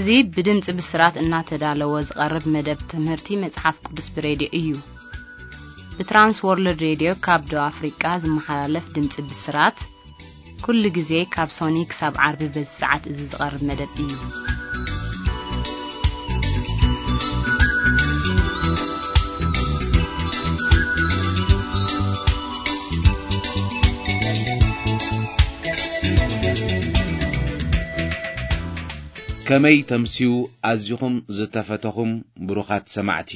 እዚ ብድምፂ ብስራት እናተዳለወ ዝቐርብ መደብ ትምህርቲ መጽሓፍ ቅዱስ ብሬድዮ እዩ። ብትራንስ ወርልድ ሬድዮ ካብ ደቡብ ኣፍሪቃ ዝመሓላለፍ ድምፂ ብስራት፣ ኩሉ ግዜ ካብ ሶኒ ክሳብ ዓርቢ በዚ ሰዓት እዚ ዝቐርብ መደብ እዩ። ከመይ ተምስዩ ኣዚኹም ዝተፈተኹም ብሩኻት ሰማዕቲ።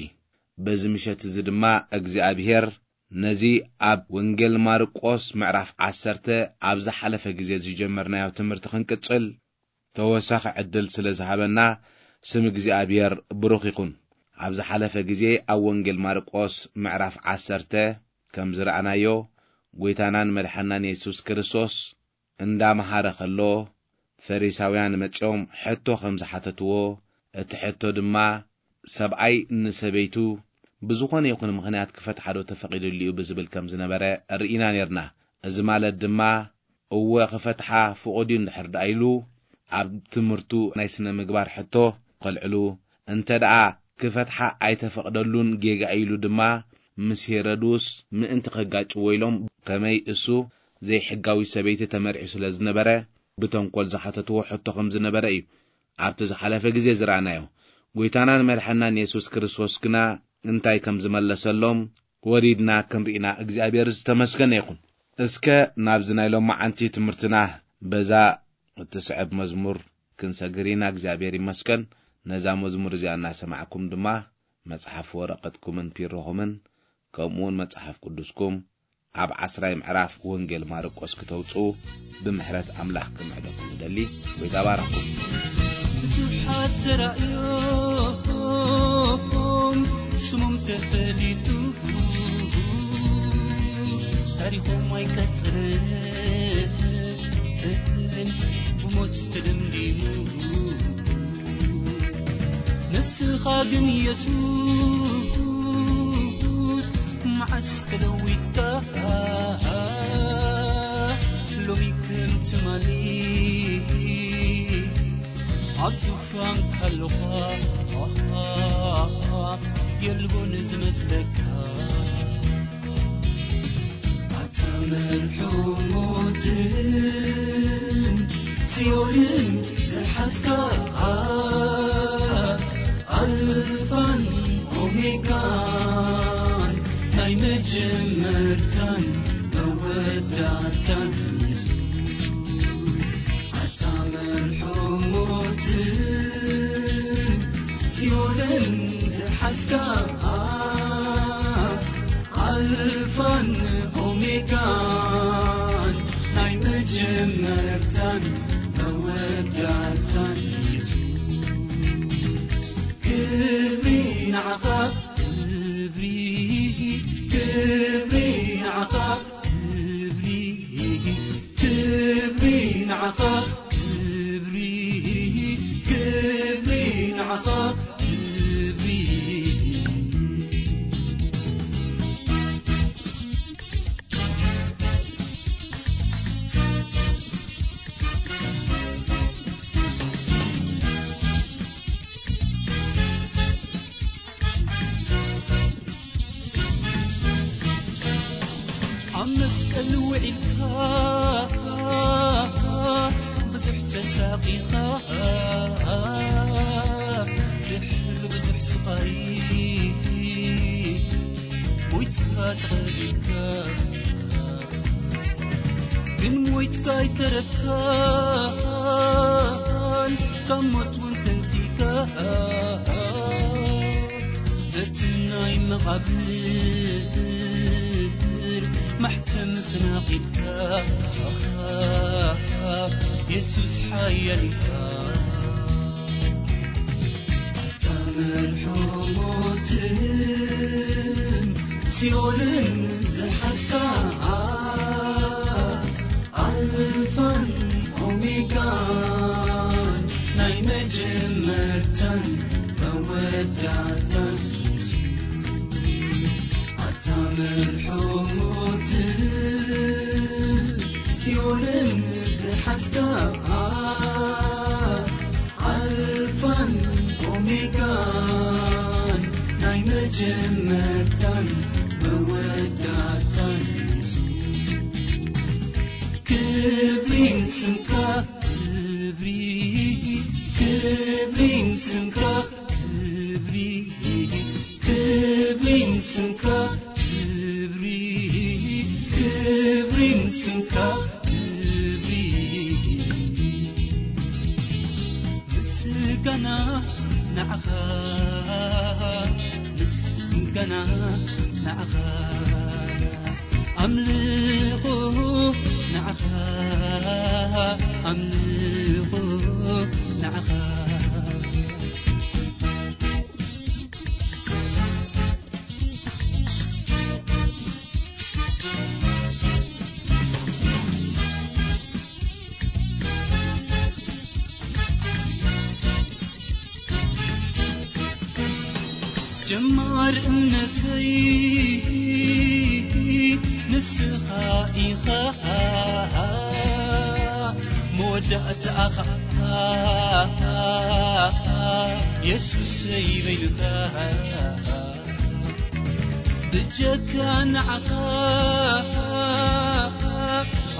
በዚ ምሸት እዚ ድማ እግዚኣብሔር ነዚ ኣብ ወንጌል ማርቆስ ምዕራፍ ዓሰርተ ኣብ ዝሓለፈ ግዜ ዝጀመርናዮ ትምህርቲ ክንቅጽል ተወሳኺ ዕድል ስለ ዝሃበና ስም እግዚኣብሔር ብሩኽ ይኹን። ኣብ ዝሓለፈ ግዜ ኣብ ወንጌል ማርቆስ ምዕራፍ ዓሰርተ ከም ዝረኣናዮ፣ ጐይታናን መድሓናን የሱስ ክርስቶስ እንዳመሃረ ከሎ፣ ፈሪሳውያን መጺኦም ሕቶ ከም ዝሓተትዎ፣ እቲ ሕቶ ድማ፣ ሰብኣይ ንሰበይቱ ብዝኾነ ይኹን ምኽንያት ክፈትሓ ዶ ተፈቒዱሉ እዩ ብዝብል ከም ዝነበረ ርኢና ኔርና። እዚ ማለት ድማ፣ እወ ክፈትሓ ፍቑድ እዩ እንድሕር ደኣ ኢሉ፣ ኣብ ትምህርቱ ናይ ስነ ምግባር ሕቶ ከልዕሉ፣ እንተ ደኣ ክፈትሓ ኣይተፈቕደሉን ጌጋ እዩ ኢሉ ድማ፣ ምስ ሄሮድስ ምእንቲ ከጋጭዎ ኢሎም፣ ከመይ እሱ ዘይሕጋዊ ሰበይቲ ተመርዒ ስለ ዝነበረ፣ ብተንኮል ዝሓተትዎ ሕቶ ከም ዝነበረ እዩ። ኣብቲ ዝሓለፈ ግዜ ዝረኣናዮ። ጐይታናን መድሓናን የሱስ ክርስቶስ ግና እንታይ ከም ዝመለሰሎም ወሪድና ክንርኢና እግዚኣብሔር ዝተመስገነ ይኹን። እስከ ናብዚ ናይ ሎማዓንቲ ትምህርትና በዛ እትስዕብ መዝሙር ክንሰግር ኢና። እግዚኣብሔር ይመስገን። ነዛ መዝሙር እዚኣ እናሰማዕኩም ድማ መጽሓፍ ወረቐትኩምን ፒሮኹምን ከምኡውን መጽሓፍ ቅዱስኩም ኣብ ዓስራይ ምዕራፍ ወንጌል ማርቆስ ክተውጽኡ ብምሕረት ኣምላኽ ክምዕደኩም እደሊ። ጐይታ ባረኽኩም። ብዙሓት ተራእዮም ስሞም ተፈሊጡ፣ ታሪኾም ኣይቀጽልን ብሞት ተደምዲሙ። ንስኻ ግን የሱስ መዓስ ተለዊጥካ፣ ሎሚ ከም ትማሊ ኣብ ዙፋንካ ኣለኻ፣ የልቦን ዝመስለካ። ኣታ መርሑ ሞትን ሲኦልን ዝሓዝካ፣ ኣልፋን ኦሜጋን ናይ መጀመርታን መወዳእታን ኣታ መርሑ ሞትን ሲኦልን ዝሓዝካ፣ ኣልፋን ኦሜጋን ናይ መጀመርታን መወዳእታን ኢየሱስ። ክብሪ ንዓኻ፣ ክብሪ፣ ክብሪ ንዓኻ፣ ክብሪ፣ ክብሪ ንዓኻ፣ ክብሪ፣ ክብሪ ንዓኻ፣ ክብሪ። ኣብ መስቀል ውዒልካ ብዙሕ ተሳቒኻ፣ ድሕሪ ብዙሕ ስቓይ ሞይትካ ተቐቢርካ። ግን ሞይትካ ኣይተረፍካን፣ ካብ ሞት እውን ተንሲእካ። ነቲ ናይ መቓብር ማሕተም ተናቒልካ፣ የሱስ ሓያል ኢኻ። ኣታ መርሑ ሞትን ሲኦልን ዝሓዝካ፣ ኣልፋን ኦሜጋን ናይ መጀመርታን መወዳእታን፣ ኣታ መርሑ ሞትን ሲኦልን ዝሓዝካ፣ ኣልፋ መጀመርታን መወዳእታን የሱስ። ክብሪ ንስምካ፣ ክብሪ፣ ክብሪ ንስምካ፣ ክብሪ፣ ክብሪ ንስምካ፣ ክብሪ፣ ክብሪ ንስምካ፣ ክብሪ። ምስጋና ንዓኻ፣ ምስጋና ንዓኻ፣ ኣምልኾ ንዓኻ፣ ኣምልኾ ንዓኻ። ጀማር እምነተይ ንስኻ ኢኻ፣ መወዳእታ ኣኻ የሱሰይ በይንኻ። ብጀካ ንዓኻ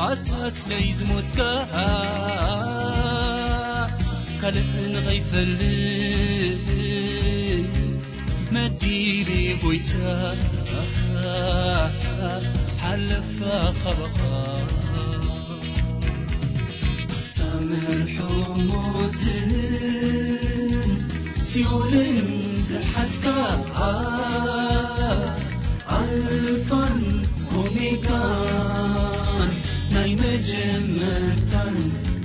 ኣታ ስለይ ዝሞትካ፣ ካልእ ንኸይፈልጥ መዲበ ጎይታ፣ ሓለፋ ካባኻ። ታምርሑ ሞትን ሲኦልን ዝሓዝካ፣ ኣልፋን ኦሜጋን፣ ናይ መጀመርታን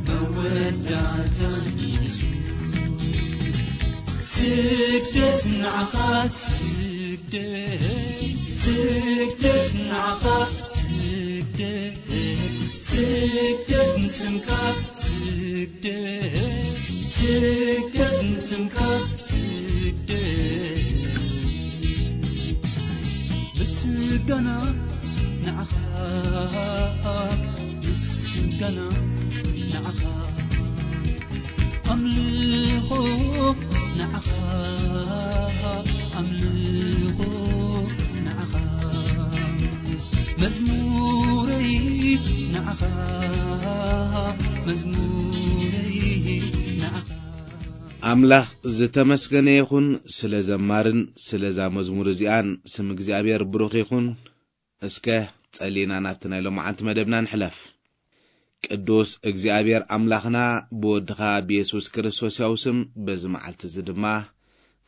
መወዳእታን የሱስ። ስግደት ንዓኻ፣ ስግደት፣ ስግደት ንዓኻ፣ ስግደት፣ ስግደት ንስምካ፣ ስግደት፣ ስግደት ንስምካ፣ ስግደት። ምስጋና ንዓኻ፣ ምስጋና ንዓኻ፣ ኣምልኾ ንዓኻ፣ ኣምልኾ ንዓኻ፣ መዝሙረይ ንዓኻ፣ መዝሙረይ ንዓኻ። ኣምላኽ ዝተመስገነ ይኹን ስለ ዘማርን ስለዛ መዝሙር እዚኣን። ስም እግዚኣብሔር ብሩኽ ይኹን። እስከ ጸሊና ናብቲ ናይ ሎማዓንቲ መደብና ንሕለፍ። ቅዱስ እግዚኣብሔር ኣምላኽና፣ ብወድኻ ብየሱስ ክርስቶስ ያው ስም በዚ መዓልቲ እዚ ድማ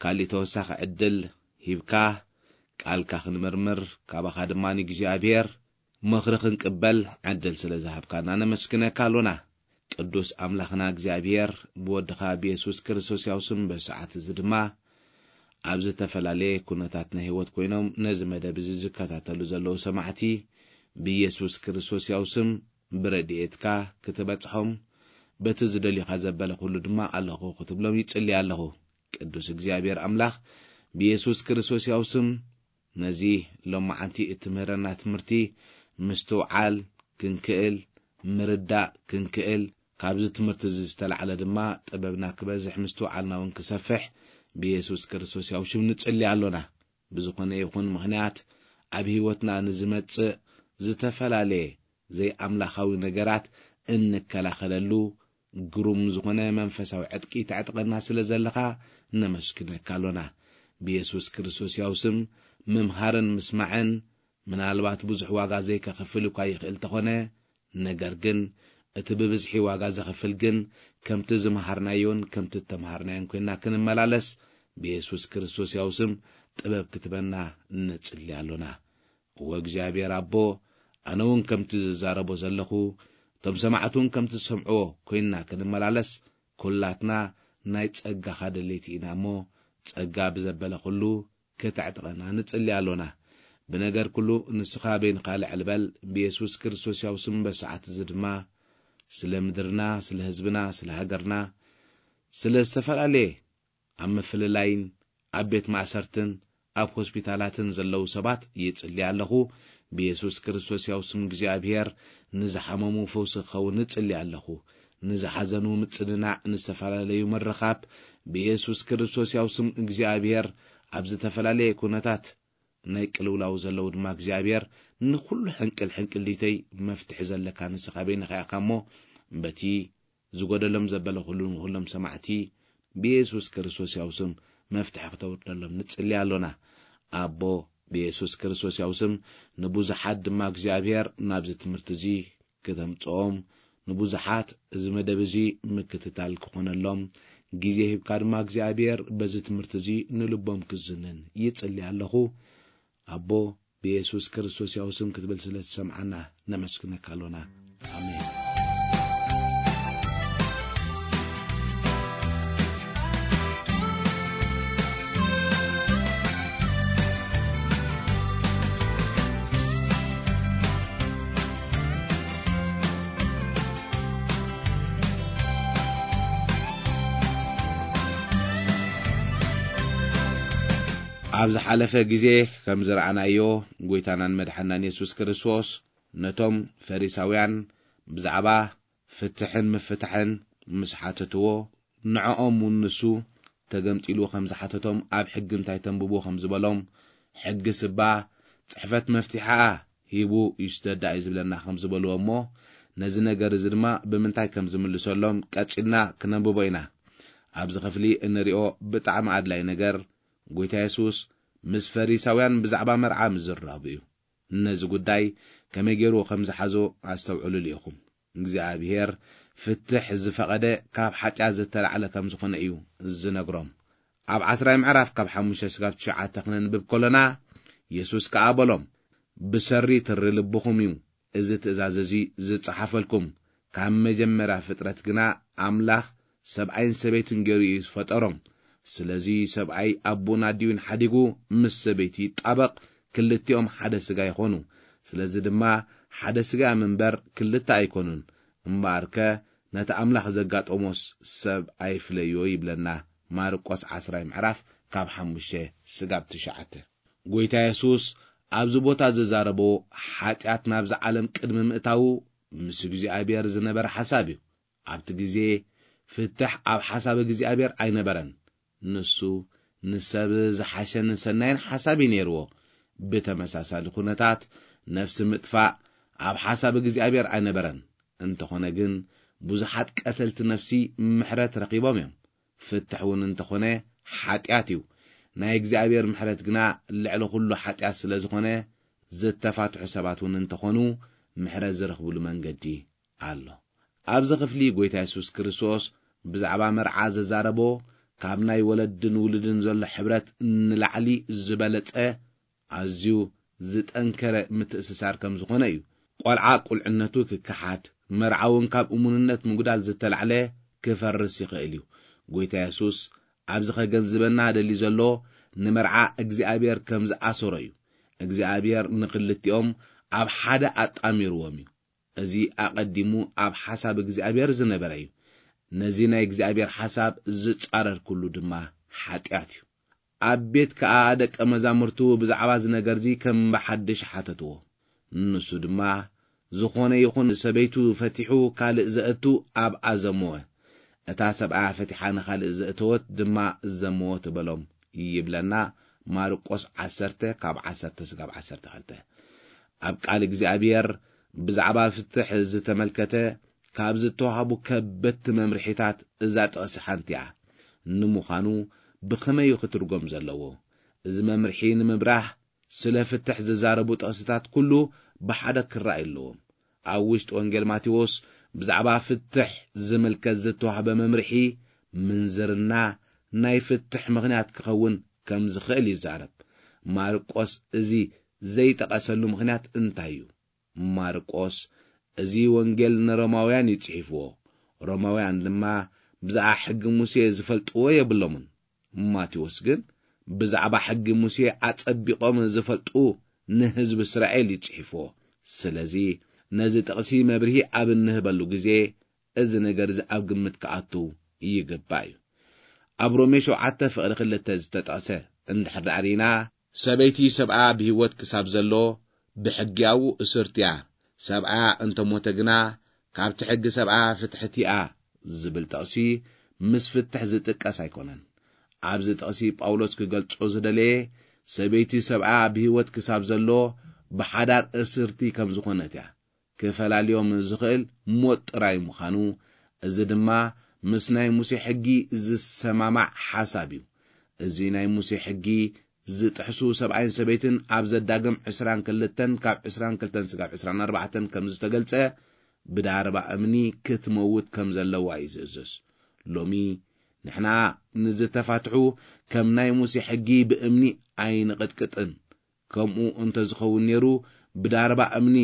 ካሊእ ተወሳኺ ዕድል ሂብካ፣ ቃልካ ክንምርምር፣ ካባኻ ድማ ንእግዚኣብሔር ምኽሪ ክንቅበል ዕድል ስለ ዝሃብካና ነመስግነካ ኣሎና። ቅዱስ ኣምላኽና እግዚኣብሔር፣ ብወድኻ ብየሱስ ክርስቶስ ያው ስም በዚ ሰዓት እዚ ድማ ኣብ ዝተፈላለየ ኩነታት ናይ ህይወት ኮይኖም ነዚ መደብ እዚ ዝከታተሉ ዘለዉ ሰማዕቲ፣ ብየሱስ ክርስቶስ ያው ስም ብረድኤትካ ክትበጽሖም፣ በቲ ዝደልዩኻ ዘበለ ኩሉ ድማ ኣለኹ ክትብሎም ይጽሊ ኣለኹ። ቅዱስ እግዚኣብሔር ኣምላኽ፣ ብየሱስ ክርስቶስ ያው ስም ነዚ ሎማዓንቲ እትምህረና ትምህርቲ ምስትውዓል ክንክእል፣ ምርዳእ ክንክእል፣ ካብዚ ትምህርቲ እዚ ዝተላዕለ ድማ ጥበብና ክበዝሕ፣ ምስትውዓልና እውን ክሰፍሕ ብየሱስ ክርስቶስ ያው ሽም ንጽሊ ኣሎና። ብዝኾነ ይኹን ምኽንያት ኣብ ህይወትና ንዝመጽእ ዝተፈላለየ ዘይኣምላኻዊ ነገራት እንከላኸለሉ ግሩም ዝኾነ መንፈሳዊ ዕጥቂ ተዕጥቀና ስለ ዘለኻ ነመስግነካ ኣሎና። ብየሱስ ክርስቶስ ያው ስም ምምሃርን ምስማዕን ምናልባት ብዙሕ ዋጋ ዘይከኽፍል እኳ ይኽእል ተኾነ፣ ነገር ግን እቲ ብብዝሒ ዋጋ ዘኽፍል ግን ከምቲ ዝመሃርናዮን ከምቲ እተመሃርናዮን ኮይንና ክንመላለስ ብየሱስ ክርስቶስ ያው ስም ጥበብ ክትበና ንጽሊ ኣሎና። እወ እግዚኣብሔር ኣቦ፣ ኣነ እውን ከምቲ ዝዛረቦ ዘለኹ፣ እቶም ሰማዕቲ እውን ከምቲ ዝሰምዕዎ ኮይንና ክንመላለስ፣ ኩላትና ናይ ጸጋኻ ደለይቲ ኢና እሞ፣ ጸጋ ብዘበለ ኩሉ ከተዕጥቀና ንጽሊ ኣሎና። ብነገር ኩሉ ንስኻ በይንኻ ልዕል በል፣ ብየሱስ ክርስቶስ ያው ስም በሰዓት እዚ ድማ ስለ ምድርና፣ ስለ ህዝብና፣ ስለ ሃገርና፣ ስለ ዝተፈላለየ ኣብ ምፍልላይን ኣብ ቤት ማእሰርትን ኣብ ሆስፒታላትን ዘለዉ ሰባት ይጽሊ ኣለኹ። ብየሱስ ክርስቶስ ያው ስም እግዚኣብሔር ንዝሓመሙ ፈውሲ ክኸውን ንጽሊ ኣለኹ። ንዝሓዘኑ ምጽንናዕ፣ ንዝተፈላለዩ ምርኻብ ብየሱስ ክርስቶስ ያው ስም እግዚኣብሔር ኣብ ዝተፈላለየ ኩነታት ናይ ቅልውላው ዘለዉ ድማ እግዚኣብሔር ንኹሉ ሕንቅል ሕንቅል ዲተይ መፍትሒ ዘለካ ንስኻ በይንኻ ኢኻ እሞ በቲ ዝጎደሎም ዘበለ ኩሉ ንኹሎም ሰማዕቲ ብየሱስ ክርስቶስ ያው ስም መፍትሒ ክተውርደሎም ንጽሊ ኣሎና። ኣቦ ብየሱስ ክርስቶስ ያው ስም ንብዙሓት ድማ እግዚኣብሔር ናብዚ ትምህርቲ እዚ ክተምጽኦም ንብዙሓት እዚ መደብ እዚ ምክትታል ክኾነሎም ግዜ ሂብካ ድማ እግዚኣብሔር በዚ ትምህርቲ እዚ ንልቦም ክዝንን ይጽሊ ኣለኹ። ኣቦ ብየሱስ ክርስቶስ ያው ስም ክትብል ስለ ትሰምዓና ነመስግነካ ኣሎና። ኣሜን። ኣብ ዝሓለፈ ግዜ ከም ዝረኣናዮ፣ ጎይታናን መድሓናን የሱስ ክርስቶስ ነቶም ፈሪሳውያን ብዛዕባ ፍትሕን ምፍታሕን ምስ ሓተትዎ፣ ንዕኦም እውን ንሱ ተገምጢሉ ከም ዝሓተቶም፣ ኣብ ሕጊ እንታይ ተንብቡ ከም ዝበሎም፣ ሕጊ ስባ ጽሕፈት መፍትሓኣ ሂቡ ይስደዳ እዩ ዝብለና ከም ዝበልዎ እሞ፣ ነዚ ነገር እዚ ድማ ብምንታይ ከም ዝምልሰሎም ቀጺልና ክነንብቦ ኢና። ኣብዚ ክፍሊ እንሪኦ ብጣዕሚ ኣድላይ ነገር፣ ጎይታ የሱስ ምስ ፈሪሳውያን ብዛዕባ መርዓ ምዝራቡ እዩ። ነዚ ጉዳይ ከመይ ገይሩ ከም ዝሓዞ ኣስተውዕሉሉ ኢኹም። እግዚኣብሔር ፍትሕ ዝፈቐደ ካብ ሓጢኣት ዝተላዕለ ከም ዝኾነ እዩ ዝነግሮም። ኣብ ዓስራይ ምዕራፍ ካብ ሓሙሽተ ስጋብ ትሽዓተ ክነንብብ ከሎና፣ የሱስ ከኣ በሎም፣ "ብሰሪ ትሪ ልብኹም እዩ እዚ ትእዛዝ እዚ ዝጸሓፈልኩም። ካብ መጀመርያ ፍጥረት ግና ኣምላኽ ሰብኣይን ሰበይትን ገይሩ እዩ ዝፈጠሮም። ስለዚ ሰብኣይ ኣቦን ኣዲኡን ሓዲጉ ምስ ሰበይቱ ይጣበቕ፣ ክልቲኦም ሓደ ስጋ ይኾኑ። ስለዚ ድማ ሓደ ስጋ እዮም እምበር ክልተ ኣይኮኑን። እምበኣርከ ነቲ ኣምላኽ ዘጋጠሞስ ሰብ ኣይፍለዮ" ይብለና። ማርቆስ ዓስራይ ምዕራፍ ካብ ሓሙሽተ ስጋብ ትሽዓተ። ጎይታ የሱስ ኣብዚ ቦታ ዝዛረቦ ሓጢኣት ናብዛ ዓለም ቅድሚ ምእታዉ ምስ እግዚኣብሔር ዝነበረ ሓሳብ እዩ። ኣብቲ ግዜ ፍትሕ ኣብ ሓሳብ እግዚኣብሔር ኣይነበረን። ንሱ ንሰብ ዝሓሸን ሰናይን ሓሳብ እዩ ነይርዎ። ብተመሳሳሊ ኩነታት ነፍሲ ምጥፋእ ኣብ ሓሳብ እግዚኣብሔር ኣይነበረን። እንተኾነ ግን ብዙሓት ቀተልቲ ነፍሲ ምሕረት ረኺቦም እዮም። ፍትሕ እውን እንተኾነ ሓጢኣት እዩ። ናይ እግዚኣብሔር ምሕረት ግና ልዕሊ ኩሉ ሓጢኣት ስለ ዝኾነ ዝተፋትሑ ሰባት እውን እንተኾኑ ምሕረት ዝረኽብሉ መንገዲ ኣሎ። ኣብዚ ክፍሊ ጎይታ የሱስ ክርስቶስ ብዛዕባ መርዓ ዘዛረቦ ካብ ናይ ወለድን ውሉድን ዘሎ ሕብረት ንላዕሊ ዝበለጸ ኣዝዩ ዝጠንከረ ምትእስሳር ከም ዝኾነ እዩ። ቆልዓ ቁልዕነቱ ክከሓድ፣ መርዓ እውን ካብ እሙንነት ምጉዳል ዝተላዕለ ክፈርስ ይኽእል እዩ። ጎይታ የሱስ ኣብዚ ከገንዝበና ደሊ ዘሎ ንመርዓ እግዚኣብሔር ከም ዝኣሰሮ እዩ። እግዚኣብሔር ንክልቲኦም ኣብ ሓደ ኣጣሚርዎም እዩ። እዚ ኣቐዲሙ ኣብ ሓሳብ እግዚኣብሔር ዝነበረ እዩ። ነዚ ናይ እግዚኣብሔር ሓሳብ ዝጻረር ኩሉ ድማ ሓጢኣት እዩ። ኣብ ቤት ከኣ ደቀ መዛሙርቱ ብዛዕባ እዚ ነገር እዚ ከም ብሓድሽ ሓተትዎ። ንሱ ድማ ዝኾነ ይኹን ሰበይቱ ፈቲሑ ካልእ ዘእቱ ኣብኣ ዘመወ። እታ ሰብኣያ ፈቲሓ ንኻልእ ዘእተወት ድማ ዘመወ ትበሎም ይብለና። ማርቆስ ዓሰርተ ካብ ዓሰርተ ስጋብ ዓሰርተ ክልተ። ኣብ ቃል እግዚኣብሔር ብዛዕባ ፍትሕ ዝተመልከተ ካብ ዝተዋህቡ ከበድቲ መምርሒታት እዛ ጥቕሲ ሓንቲ እያ። ንምዃኑ ብኸመይ እዩ ክትርጎም ዘለዎ? እዚ መምርሒ ንምብራህ ስለ ፍትሕ ዝዛረቡ ጥቕስታት ኩሉ ብሓደ ክረኣዩ ኣለዎም። ኣብ ውሽጢ ወንጌል ማቴዎስ ብዛዕባ ፍትሕ ዝምልከት ዝተዋህበ መምርሒ ምንዝርና ናይ ፍትሕ ምኽንያት ክኸውን ከም ዝኽእል ይዛረብ። ማርቆስ እዚ ዘይጠቐሰሉ ምኽንያት እንታይ እዩ? ማርቆስ እዚ ወንጌል ንሮማውያን እዩ ጽሒፍዎ። ሮማውያን ድማ ብዛዕባ ሕጊ ሙሴ ዝፈልጥዎ የብሎምን። ማቴዎስ ግን ብዛዕባ ሕጊ ሙሴ ኣጸቢቖም ዝፈልጡ ንህዝቢ እስራኤል እዩ ጽሒፍዎ። ስለዚ ነዚ ጥቕሲ መብርሂ ኣብ እንህበሉ ግዜ እዚ ነገር እዚ ኣብ ግምት ክኣቱ ይግባእ እዩ። ኣብ ሮሜ ሸውዓተ ፍቕዲ ክልተ ዝተጠቕሰ እንድሕር ደኣ ርኢና፣ ሰበይቲ ሰብኣ ብህይወት ክሳብ ዘሎ ብሕጊ ኣብኡ እስርቲ እያ፣ ሰብኣ እንተ ሞተ ግና ካብቲ ሕጊ ሰብኣ ፍትሕቲ እያ ዝብል ጥቕሲ ምስ ፍትሕ ዝጥቀስ ኣይኮነን። ኣብዚ ጥቕሲ ጳውሎስ ክገልጾ ዝደለየ፣ ሰበይቲ ሰብኣ ብህይወት ክሳብ ዘሎ ብሓዳር እስርቲ ከም ዝኾነት እያ። ክፈላልዮም ዝኽእል ሞት ጥራይ ምዃኑ፣ እዚ ድማ ምስ ናይ ሙሴ ሕጊ ዝሰማማዕ ሓሳብ እዩ። እዚ ናይ ሙሴ ሕጊ ዝጥሕሱ ሰብኣይን ሰበይትን ኣብ ዘዳግም ዕስራን ክልተን ካብ ዕስራን ክልተን ስጋብ ዕስራን ኣርባዕተን ከም ዝተገልጸ፣ ብዳርባ እምኒ ክትመውት ከም ዘለዋ እዩ ዝእዝዝ። ሎሚ ንሕና ንዝተፋትሑ ከም ናይ ሙሴ ሕጊ ብእምኒ ኣይንቕጥቅጥን። ከምኡ እንተ ዝኸውን ነይሩ፣ ብዳርባ እምኒ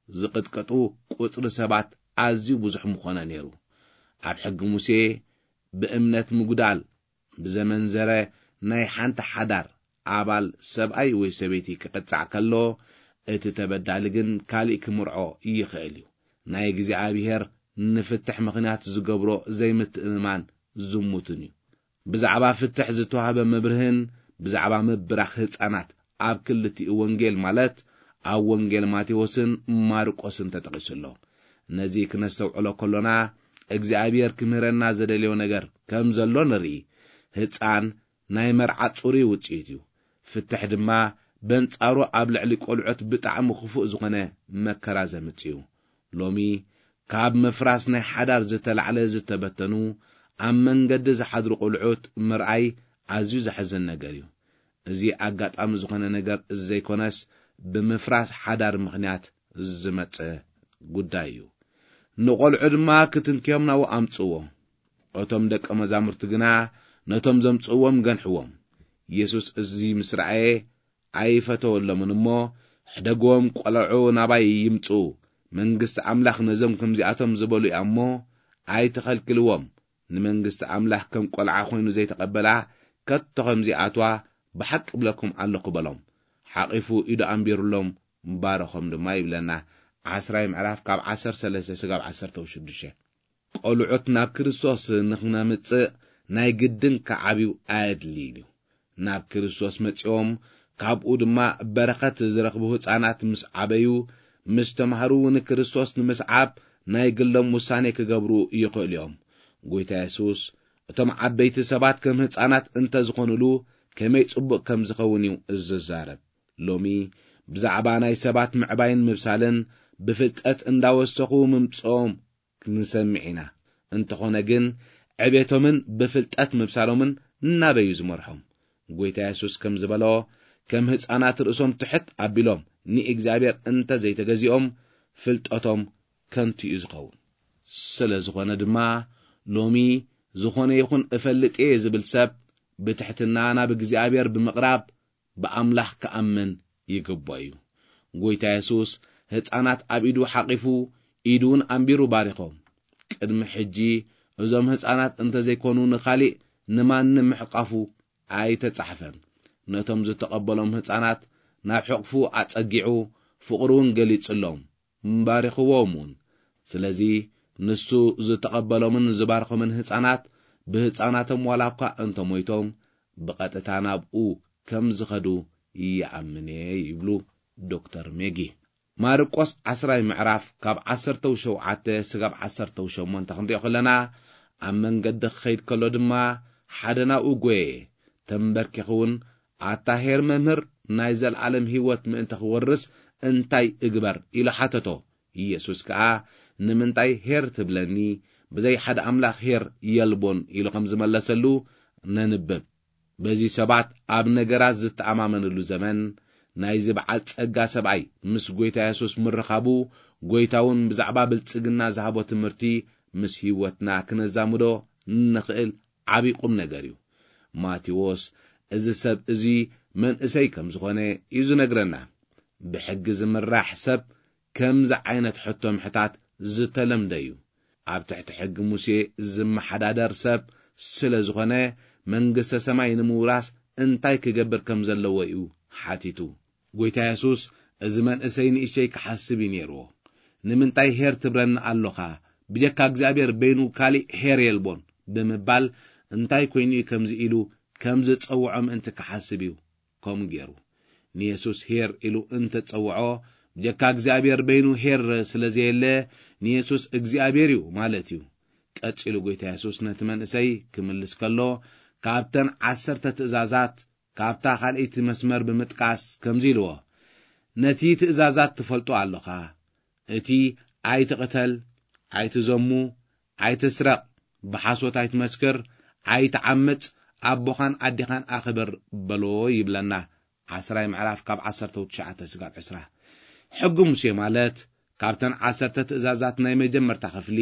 ዝቕጥቀጡ ቁጽሪ ሰባት ኣዝዩ ብዙሕ ምኾነ ነይሩ። ኣብ ሕጊ ሙሴ ብእምነት ምጉዳል ብዘመንዘረ ናይ ሓንቲ ሓዳር ኣባል ሰብኣይ ወይ ሰበይቲ ክቕጻዕ ከሎ፣ እቲ ተበዳሊ ግን ካሊእ ክምርዖ ይኽእል እዩ። ናይ እግዚኣብሔር ንፍትሕ ምኽንያት ዝገብሮ ዘይምትእምማን ዝሙትን እዩ። ብዛዕባ ፍትሕ ዝተዋህበ መብርህን ብዛዕባ ምብራኽ ህጻናት ኣብ ክልቲኡ ወንጌል፣ ማለት ኣብ ወንጌል ማቴዎስን ማርቆስን ተጠቒሱ ኣሎ። ነዚ ክነስተውዕሎ ከሎና፣ እግዚኣብሔር ክምህረና ዘደልዮ ነገር ከም ዘሎ ንርኢ። ህጻን ናይ መርዓ ጽሩይ ውጽኢት እዩ። ፍትሕ ድማ በንጻሩ ኣብ ልዕሊ ቆልዑት ብጣዕሚ ክፉእ ዝኾነ መከራ ዘምጽእ እዩ። ሎሚ ካብ ምፍራስ ናይ ሓዳር ዝተላዕለ ዝተበተኑ፣ ኣብ መንገዲ ዝሓድሩ ቆልዑት ምርኣይ ኣዝዩ ዘሕዝን ነገር እዩ። እዚ ኣጋጣሚ ዝኾነ ነገር ዘይኮነስ፣ ብምፍራስ ሓዳር ምኽንያት ዝመጸ ጉዳይ እዩ። ንቆልዑ ድማ ክትንክዮም ናብኡ ኣምጽዎ። እቶም ደቀ መዛሙርቲ ግና ነቶም ዘምጽእዎም ገንሕዎም። ኢየሱስ እዚ ምስ ረኣየ ኣይፈተወሎምን እሞ፣ "ሕደግዎም፣ ቆልዑ ናባይ ይምጽኡ፣ መንግስቲ ኣምላኽ ነዞም ከምዚኣቶም ዝበሉ እያ እሞ፣ ኣይትኸልክልዎም። ንመንግስቲ ኣምላኽ ከም ቆልዓ ኮይኑ ዘይተቐበላ ከቶ ከምዚኣትዋ ብሓቂ እብለኩም ኣለኹ" በሎም። ሓቒፉ ኢዱ ኣንቢሩሎም፣ ባረኾም ድማ ይብለና። ዓስራይ ምዕራፍ ካብ ዓሰርተ ሰለስተ ስጋብ ዓሰርተ ሽዱሽተ። ቆልዑት ናብ ክርስቶስ ንኽነምጽእ ናይ ግድን ክዓብዩ ኣየድልይን እዩ። ናብ ክርስቶስ መጺኦም ካብኡ ድማ በረኸት ዝረኽቡ ህጻናት ምስ ዓበዩ፣ ምስ ተማህሩ ንክርስቶስ ንምስዓብ ናይ ግሎም ውሳኔ ክገብሩ ይኽእሉ እዮም። ጎይታ የሱስ፣ "እቶም ዓበይቲ ሰባት ከም ህጻናት እንተ ዝኾኑሉ፣ ከመይ ጽቡቕ ከም ዝኸውን እዩ ዝዛረብ።" ሎሚ ብዛዕባ ናይ ሰባት ምዕባይን ምብሳልን ብፍልጠት እንዳወሰኹ ምምጽኦም ንሰምዕ ኢና። እንተኾነ ግን፣ ዕቤቶምን ብፍልጠት ምብሳሎምን ናበይ እዩ ዝመርሖም? ጎይታ የሱስ ከም ዝበሎ፣ "ከም ህፃናት ርእሶም ትሕት ኣቢሎም ንእግዚኣብሔር እንተ ዘይተገዚኦም፣ ፍልጠቶም ከንቱ እዩ ዝኸውን።" ስለ ዝኾነ ድማ፣ ሎሚ "ዝኾነ ይኹን እፈልጥ እየ" ዝብል ሰብ፣ ብትሕትና ናብ እግዚኣብሔር ብምቕራብ ብኣምላኽ ክኣምን ይግብኦ እዩ። ጎይታ የሱስ ህፃናት ኣብ ኢዱ ሓቒፉ፣ ኢዱ እውን ኣንቢሩ ባሪኾም። ቅድሚ ሕጂ እዞም ህፃናት እንተዘይኮኑ ንኻሊእ ንማንም ምሕቃፉ ኣይተጻሕፈን። ነቶም ዝተቐበሎም ህፃናት ናብ ሕቕፉ ኣጸጊዑ፣ ፍቕሩ እውን ገሊጹሎም፣ ባሪኽዎም እውን። ስለዚ ንሱ ዝተቐበሎምን ዝባርኾምን ህፃናት ብህፃናቶም ዋላ እኳ እንተሞይቶም፣ ብቐጥታ ናብኡ ከም ዝኸዱ ይኣምን እየ ይብሉ ዶክተር ሜጊ። ማርቆስ ዓስራይ ምዕራፍ ካብ ዓሰርተ ሸውዓተ ስጋብ ዓሰርተ ሸሞንተ ክንሪኦ ከለና፣ ኣብ መንገዲ ክኸይድ ከሎ ድማ ሓደ ናብኡ ጐየ፣ ተንበርኪኹ እውን፣ "ኣታ ኄር መምህር፣ ናይ ዘለኣለም ህይወት ምእንቲ ክወርስ እንታይ እግበር?" ኢሉ ሓተቶ። ኢየሱስ ከኣ፣ "ንምንታይ ኄር ትብለኒ? ብዘይ ሓደ ኣምላኽ ኄር የልቦን" ኢሉ ከም ዝመለሰሉ ነንብብ። በዚ ሰባት ኣብ ነገራት ዝተኣማመንሉ ዘመን፣ ናይዚ በዓል ጸጋ ሰብኣይ ምስ ጐይታ የሱስ ምርኻቡ፣ ጐይታ እውን ብዛዕባ ብልጽግና ዝሃቦ ትምህርቲ ምስ ህይወትና ክነዛምዶ ንኽእል ዓቢ ቁም ነገር እዩ። ማቴዎስ እዚ ሰብ እዚ መንእሰይ ከም ዝኾነ እዩ ዝነግረና። ብሕጊ ዝምራሕ ሰብ ከምዚ ዓይነት ሕቶ ምሕታት ዝተለምደ እዩ። ኣብ ትሕቲ ሕጊ ሙሴ ዝመሓዳደር ሰብ ስለ ዝኾነ፣ መንግስተ ሰማይ ንምውራስ እንታይ ክገብር ከም ዘለዎ እዩ ሓቲቱ። ጎይታ የሱስ፣ "እዚ መንእሰይ ንእሽተይ ክሓስብ እዩ ነይርዎ። ንምንታይ ኄር ትብለኒ ኣሎኻ? ብጀካ እግዚኣብሔር በይኑ ካሊእ ኄር የልቦን" ብምባል፣ እንታይ ኮይኑ እዩ ከምዚ ኢሉ ከም ዝጸውዖ ምእንቲ ክሓስብ እዩ ከምኡ ገይሩ። ንየሱስ ኄር ኢሉ እንተጸውዖ፣ ብጀካ እግዚኣብሔር በይኑ ኄር ስለ ዘየለ፣ ንየሱስ እግዚኣብሔር እዩ ማለት እዩ። ቀጺሉ ጎይታ የሱስ ነቲ መንእሰይ ክምልስ ከሎ፣ ካብተን ዓሰርተ ትእዛዛት ካብታ ካልኣይቲ መስመር ብምጥቃስ ከምዚ ኢልዎ፣ "ነቲ ትእዛዛት ትፈልጦ ኣለኻ፣ እቲ ኣይትቕተል፣ ኣይትዘሙ፣ ኣይትስረቕ፣ ብሓሶት ኣይትመስክር፣ ኣይትዓምጽ፣ ኣቦኻን ኣዴኻን ኣኽብር" በሎ ይብለና። ዓስራይ ምዕራፍ ካብ ዓሰርተ ትሽዓተ ስጋብ ዕስራ። ሕጊ ሙሴ ማለት ካብተን ዓሰርተ ትእዛዛት ናይ መጀመርታ ክፍሊ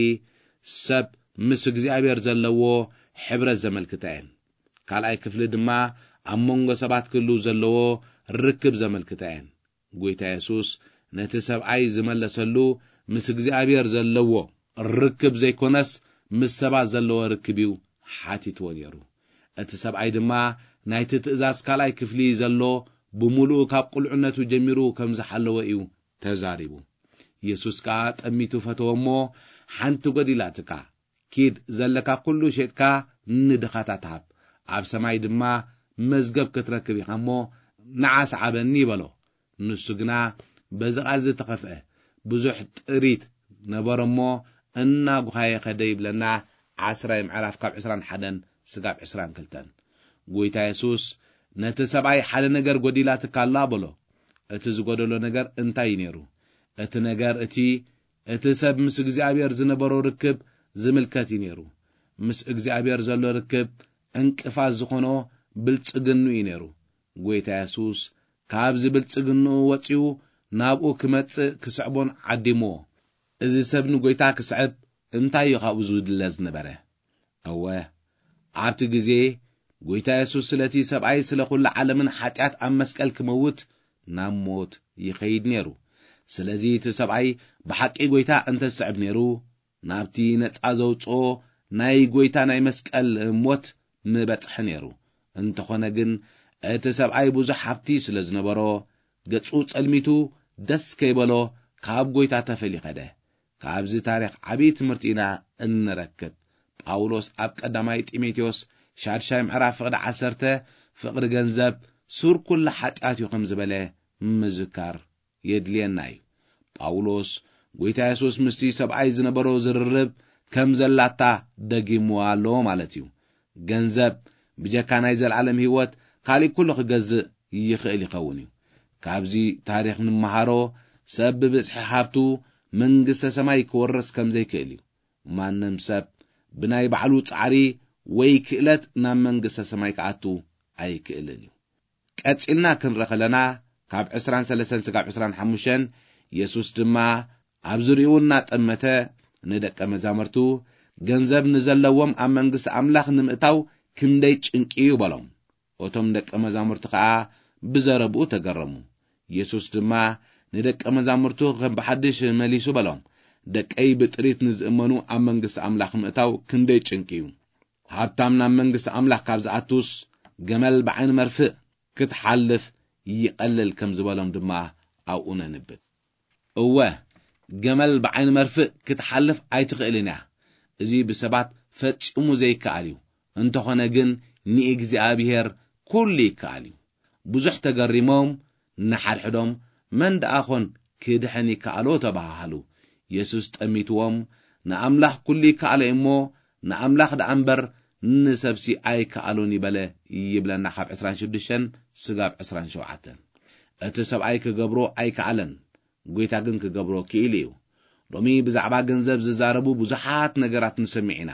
ሰብ ምስ እግዚኣብሔር ዘለዎ ሕብረት ዘመልክታ እየን። ካልኣይ ክፍሊ ድማ ኣብ መንጎ ሰባት ክህሉ ዘለዎ ርክብ ዘመልክታ እየን። ጎይታ የሱስ ነቲ ሰብኣይ ዝመለሰሉ ምስ እግዚኣብሔር ዘለዎ ርክብ ዘይኮነስ ምስ ሰባት ዘለዎ ርክብ እዩ ሓቲትዎ ነይሩ። እቲ ሰብኣይ ድማ ናይቲ ትእዛዝ ካልኣይ ክፍሊ ዘሎ ብምሉኡ ካብ ቁልዕነቱ ጀሚሩ ከም ዝሓለወ እዩ ተዛሪቡ። የሱስ ከኣ ጠሚቱ ፈተወ እሞ፣ "ሓንቲ ጎዲላትካ፣ ኪድ ዘለካ ኩሉ ሸጥካ ንድኻታት ሃብ፣ ኣብ ሰማይ ድማ መዝገብ ክትረክብ ኢኻ እሞ ንዓ ሰዓበኒ" በሎ። ንሱ ግና በዚ ቃል ዝተኸፍአ ብዙሕ ጥሪት ነበረ እሞ እናጉሃየ ከደ ይብለና። ዓስራይ ምዕራፍ ካብ ዕስራን ሓደን ስጋብ ዕስራን ክልተን። ጎይታ የሱስ ነቲ ሰብኣይ ሓደ ነገር ጎዲላትካ ኣላ በሎ። እቲ ዝጎደሎ ነገር እንታይ እዩ ነይሩ? እቲ ነገር እቲ፣ እቲ ሰብ ምስ እግዚኣብሔር ዝነበሮ ርክብ ዝምልከት እዩ ነይሩ። ምስ እግዚኣብሔር ዘሎ ርክብ ዕንቅፋት ዝኾኖ ብልጽግንኡ እዩ ነይሩ። ጎይታ የሱስ ካብዚ ብልጽግንኡ ወጺኡ ናብኡ ክመጽእ ክስዕቦን ዓዲምዎ። እዚ ሰብ ንጎይታ ክስዕብ እንታይ እዩ ካብኡ ዝድለ ዝነበረ? እወ፣ ኣብቲ ግዜ ጎይታ የሱስ ስለቲ ሰብኣይ ስለ ኩሉ ዓለምን ሓጢኣት ኣብ መስቀል ክመውት ናብ ሞት ይኸይድ ነይሩ። ስለዚ እቲ ሰብኣይ ብሓቂ ጎይታ እንተ ዝስዕብ ነይሩ፣ ናብቲ ነጻ ዘውጽኦ ናይ ጎይታ ናይ መስቀል ሞት ምበጽሐ ነይሩ። እንተኾነ ግን እቲ ሰብኣይ ብዙሕ ሃብቲ ስለ ዝነበሮ፣ ገጹ ጸልሚቱ ደስ ከይበሎ ካብ ጎይታ ተፈልዩ ኸደ። ካብዚ ታሪኽ ዓብዪ ትምህርቲ ኢና እንረክብ። ጳውሎስ ኣብ ቀዳማይ ጢሞቴዎስ ሻድሻይ ምዕራፍ ፍቕዲ ዓሰርተ፣ "ፍቕሪ ገንዘብ ሱር ኩሉ ሓጢኣት እዩ" ከም ዝበለ ምዝካር የድልየና እዩ። ጳውሎስ ጎይታ የሱስ ምስቲ ሰብኣይ ዝነበሮ ዝርርብ ከም ዘላታ ደጊምዋ ኣሎ ማለት እዩ። ገንዘብ ብጀካ ናይ ዘለዓለም ህይወት ካሊእ ኩሉ ክገዝእ ይኽእል ይኸውን እዩ። ካብዚ ታሪኽ ንመሃሮ፣ ሰብ ብብዝሒ ሃብቱ መንግስተ ሰማይ ክወርስ ከም ዘይክእል እዩ። ማንም ሰብ ብናይ ባዕሉ ጻዕሪ ወይ ክእለት ናብ መንግስተ ሰማይ ክኣቱ ኣይክእልን እዩ። ቀጺልና ክንርኢ ከለና፣ ካብ ዕስራን ሰለስተን ስጋብ ዕስራን ሓሙሽተን፣ የሱስ ድማ ኣብ ዙርያኡ እናጠመተ ንደቀ መዛሙርቱ፣ "ገንዘብ ንዘለዎም ኣብ መንግስቲ ኣምላኽ ንምእታው ክንደይ ጭንቂ እዩ" በሎም። እቶም ደቀ መዛሙርቲ ከኣ ብዘረብኡ ተገረሙ። የሱስ ድማ ንደቀ መዛሙርቱ ከም ብሓድሽ መሊሱ በሎም፣ "ደቀይ ብጥሪት ንዝእመኑ ኣብ መንግስቲ ኣምላኽ ምእታው ክንደይ ጭንቂ እዩ! ሃብታም ናብ መንግስቲ ኣምላኽ ካብ ዝኣቱስ፣ ገመል ብዓይኒ መርፍእ ክትሓልፍ ይቐልል" ከም ዝበሎም ድማ ኣብኡ ነንብብ። እወ፣ ገመል ብዓይኒ መርፍእ ክትሓልፍ ኣይትኽእልን እያ። እዚ ብሰባት ፈጺሙ ዘይከኣል እዩ። እንተኾነ ግን ንእግዚኣብሔር ኩሉ ይከኣል እዩ። ብዙሕ ተገሪሞም፣ ንሓድሕዶም፣ "መን ደኣ ኾን ክድሕን ይከኣሎ?" ተባሃሃሉ። የሱስ ጠሚትዎም፣ "ንኣምላኽ ኩሉ ይከኣሎ እሞ፣ ንኣምላኽ ደኣ እምበር ንሰብሲ ኣይከኣሎን" ይበለ ይብለና፣ ካብ ዕስራን ሽዱሽተን ስጋብ ዕስራን ሸውዓተን። እቲ ሰብኣይ ክገብሮ ኣይከኣለን። ጎይታ ግን ክገብሮ ክኢሉ እዩ። ሎሚ ብዛዕባ ገንዘብ ዝዛረቡ ብዙሓት ነገራት ንሰምዕ ኢና።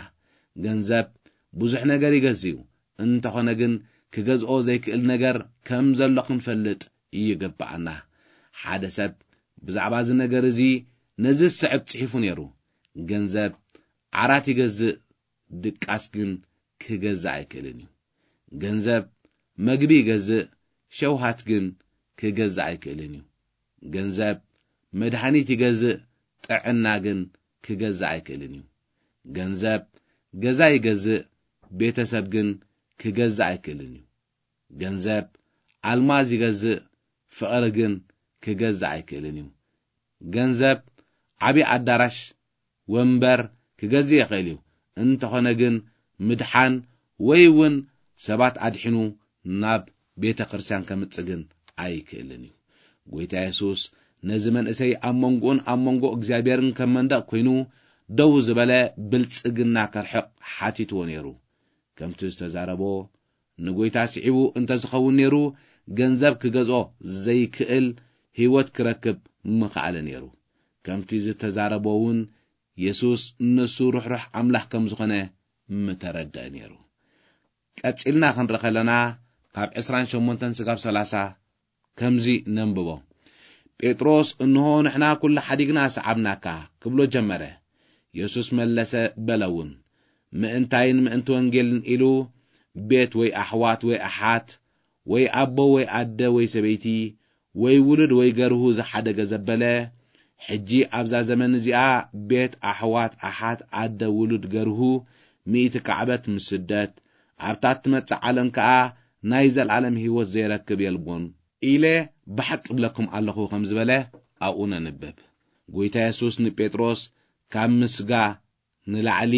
ገንዘብ ብዙሕ ነገር ይገዝእ እዩ። እንተኾነ ግን ክገዝኦ ዘይክእል ነገር ከም ዘሎ ክንፈልጥ ይግብኣና። ሓደ ሰብ ብዛዕባ እዚ ነገር እዚ ነዚ ዝስዕብ ጽሒፉ ነይሩ። ገንዘብ ዓራት ይገዝእ፣ ድቃስ ግን ክገዝእ ኣይክእልን እዩ። ገንዘብ መግቢ ይገዝእ፣ ሸውሃት ግን ክገዝእ ኣይክእልን እዩ። ገንዘብ መድሃኒት ይገዝእ፣ ጥዕና ግን ክገዝእ ኣይክእልን እዩ። ገንዘብ ገዛ ይገዝእ፣ ቤተሰብ ግን ክገዝእ ኣይክእልን እዩ። ገንዘብ ኣልማዝ ይገዝእ፣ ፍቕሪ ግን ክገዝእ ኣይክእልን እዩ። ገንዘብ ዓቢ ኣዳራሽ፣ ወንበር ክገዝእ ይኽእል እዩ። እንተኾነ ግን ምድሓን ወይ እውን ሰባት ኣድሒኑ ናብ ቤተ ክርስቲያን ከምጽእ ግን ኣይክእልን እዩ። ጎይታ የሱስ ነዚ መንእሰይ ኣብ መንጎኡን ኣብ መንጎ እግዚኣብሔርን ከም መንደቕ ኮይኑ ደው ዝበለ ብልጽግና ከርሕቕ ሓቲትዎ ነይሩ። ከምቲ ዝተዛረቦ፣ ንጎይታ ስዒቡ እንተዝኸውን ነይሩ፣ ገንዘብ ክገዝኦ ዘይክእል ህይወት ክረክብ ምኸኣለ ነይሩ። ከምቲ ዝተዛረቦ እውን የሱስ ንሱ ርሕሩሕ ኣምላኽ ከም ዝኾነ ምተረድአ ነይሩ። ቀጺልና ክንርኢ ከለና፣ ካብ ዕስራን ሸሞንተን ስጋብ ሰላሳ ከምዚ ነንብቦ። ጴጥሮስ፣ "እንሆ ንሕና ኩሉ ሓዲግና ሰዓብናካ" ክብሎ ጀመረ። የሱስ መለሰ በለ እውን፣ "ምእንታይን ምእንቲ ወንጌልን ኢሉ ቤት ወይ ኣሕዋት ወይ ኣሓት ወይ ኣቦ ወይ ኣደ ወይ ሰበይቲ ወይ ውሉድ ወይ ገርሁ ዝሓደገ ዘበለ፣ ሕጂ ኣብዛ ዘመን እዚኣ ቤት፣ ኣሕዋት፣ ኣሓት፣ ኣደ፣ ውሉድ፣ ገርሁ፣ ሚእቲ ካዕበት ምስ ስደት፣ ኣብታ እትመጽእ ዓለም ከኣ ናይ ዘለኣለም ህይወት ዘይረክብ የልቦን ኢለ ብሓቂ እብለኩም ኣለኹ" ከም ዝበለ ኣብኡ ነንብብ። ጎይታ የሱስ ንጴጥሮስ ካብ ምስጋ ንላዕሊ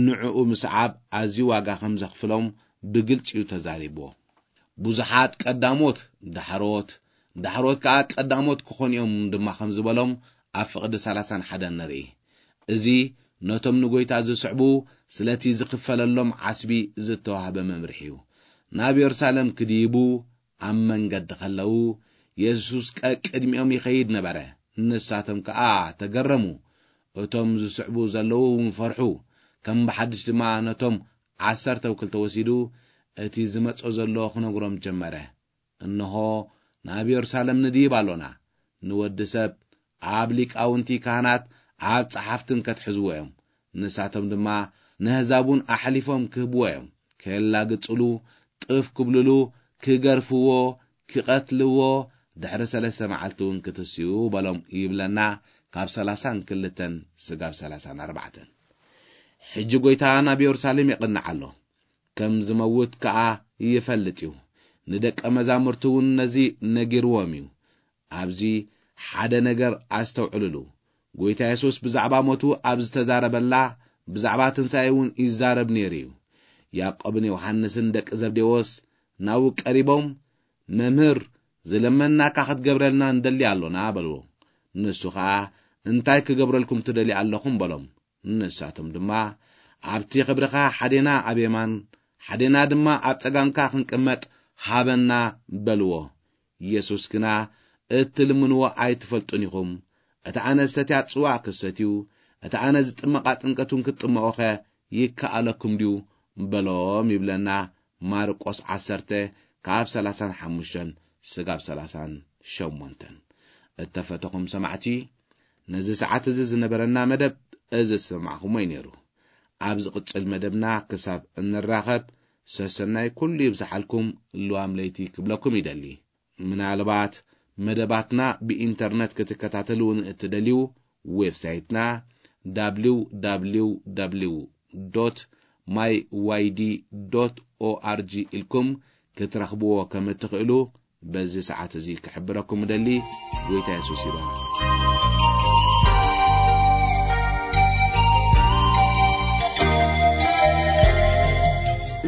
ንዕኡ ምስዓብ ኣዝዩ ዋጋ ከም ዘኽፍሎም ብግልጺ እዩ ተዛሪብዎ። ብዙሓት ቀዳሞት ዳሕሮት፣ ዳሕሮት ከኣ ቀዳሞት ክኾኑ እዮም ድማ ከም ዝበሎም ኣብ ፍቕዲ ሰላሳን ሓደን ንርኢ። እዚ ነቶም ንጎይታ ዝስዕቡ ስለቲ ዝኽፈለሎም ዓስቢ ዝተዋህበ መምርሒ እዩ። ናብ የሩሳሌም ክድይቡ ኣብ መንገዲ ከለዉ፣ የሱስ ቀቅድሚኦም ይኸይድ ነበረ። ንሳቶም ከኣ ተገረሙ። እቶም ዝስዕቡ ዘለዉ እውን ፈርሑ። ከም ብሓድሽ ድማ ነቶም ዓሰርተው ክልተ ወሲዱ፣ እቲ ዝመጾ ዘሎ ክነግሮም ጀመረ። "እንሆ፣ ናብ የሩሳሌም ንድይብ ኣሎና። ንወዲ ሰብ ኣብ ሊቃውንቲ ካህናት፣ ኣብ ጸሓፍትን ከትሕዝዎ እዮም። ንሳቶም ድማ ነህዛቡን ኣሕሊፎም ክህብዎ እዮም። ከየላግጽሉ፣ ጥፍ ክብልሉ፣ ክገርፍዎ፣ ክቐትልዎ፣ ድሕሪ ሰለስተ መዓልቲ እውን ክትስኡ" በሎም ይብለና፣ ካብ ሰላሳን ክልተን ስጋብ ሰላሳን ኣርባዕተን። ሕጂ ጎይታ ናብ የሩሳሌም የቕንዕ ኣሎ። ከም ዝመውት ከኣ ይፈልጥ እዩ። ንደቀ መዛሙርቱ እውን ነዚ ነጊርዎም እዩ። ኣብዚ ሓደ ነገር ኣስተውዕሉሉ። ጎይታ የሱስ ብዛዕባ ሞቱ ኣብ ዝተዛረበላ፣ ብዛዕባ ትንሳኤ እውን ይዛረብ ነይሩ እዩ። ያዕቆብን ዮሃንስን ደቂ ዘብዴዎስ ናብኡ ቀሪቦም፣ "መምህር፣ ዝለመንናካ ክትገብረልና ንደሊ ኣሎና" በልዎ። ንሱ ኸኣ፣ "እንታይ ክገብረልኩም ትደልዩ ኣለኹም?" በሎም። ንሳቶም ድማ፣ "ኣብቲ ክብርኻ ሓዴና ኣብ የማን፣ ሓዴና ድማ ኣብ ጸጋምካ ክንቅመጥ ሃበና" በልዎ። የሱስ ግና፣ "እትልምንዎ ኣይትፈልጡን ኢኹም። እቲ ኣነ ዝሰትያ ጽዋእ ክትሰትዩ፣ እቲ ኣነ ዝጥመቓ ጥምቀት እውን ክትጥመቑኸ ይከኣለኩም ድዩ?" በሎም ይብለና ማርቆስ ዓሰርተ ካብ ሰላሳን ሓሙሽተን ስጋብ ሰላሳን ሸሞንተን። እተፈተኹም ሰማዕቲ፣ ነዚ ሰዓት እዚ ዝነበረና መደብ እዚ ዝሰማዕኹሞ እዩ ነይሩ። ኣብ ዝቕጽል መደብና ክሳብ እንራኸብ፣ ሰሰናይ ኩሉ ይብዝሓልኩም፣ ልዋም ለይቲ ክብለኩም ይደሊ። ምናልባት መደባትና ብኢንተርነት ክትከታተሉ ንእትደልዩ፣ ዌብሳይትና www.myyd.org ኢልኩም ክትረኽብዎ ከም እትኽእሉ በዚ ሰዓት እዚ ክሕብረኩም እደሊ። ጎይታ የሱስ ይባርክ።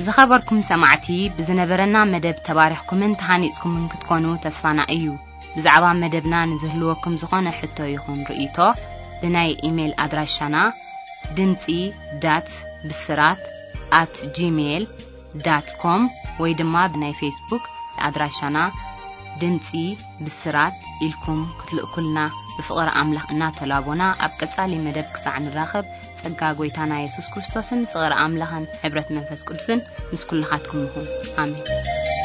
ዝኸበርኩም ሰማዕቲ፣ ብዝነበረና መደብ ተባሪኽኩምን ተሃኒጽኩምን ክትኮኑ ተስፋና እዩ። ብዛዕባ መደብና ንዝህልወኩም ዝኾነ ሕቶ ይኹን ርእይቶ፣ ብናይ ኢሜይል ኣድራሻና ድምጺ ዳት ብስራት ኣት ጂሜይል ዳት ኮም ወይ ድማ ብናይ ፌስቡክ ኣድራሻና ድምጺ ብስራት ኢልኩም ክትልእኩልና ብፍቕሪ ኣምላኽ እናተላቦና፣ ኣብ ቀጻሊ መደብ ክሳዕ ንራኸብ፣ ጸጋ ጐይታና የሱስ ክርስቶስን ፍቕሪ ኣምላኽን ሕብረት መንፈስ ቅዱስን ምስ ኩልኻትኩም ይኹን። ኣሜን።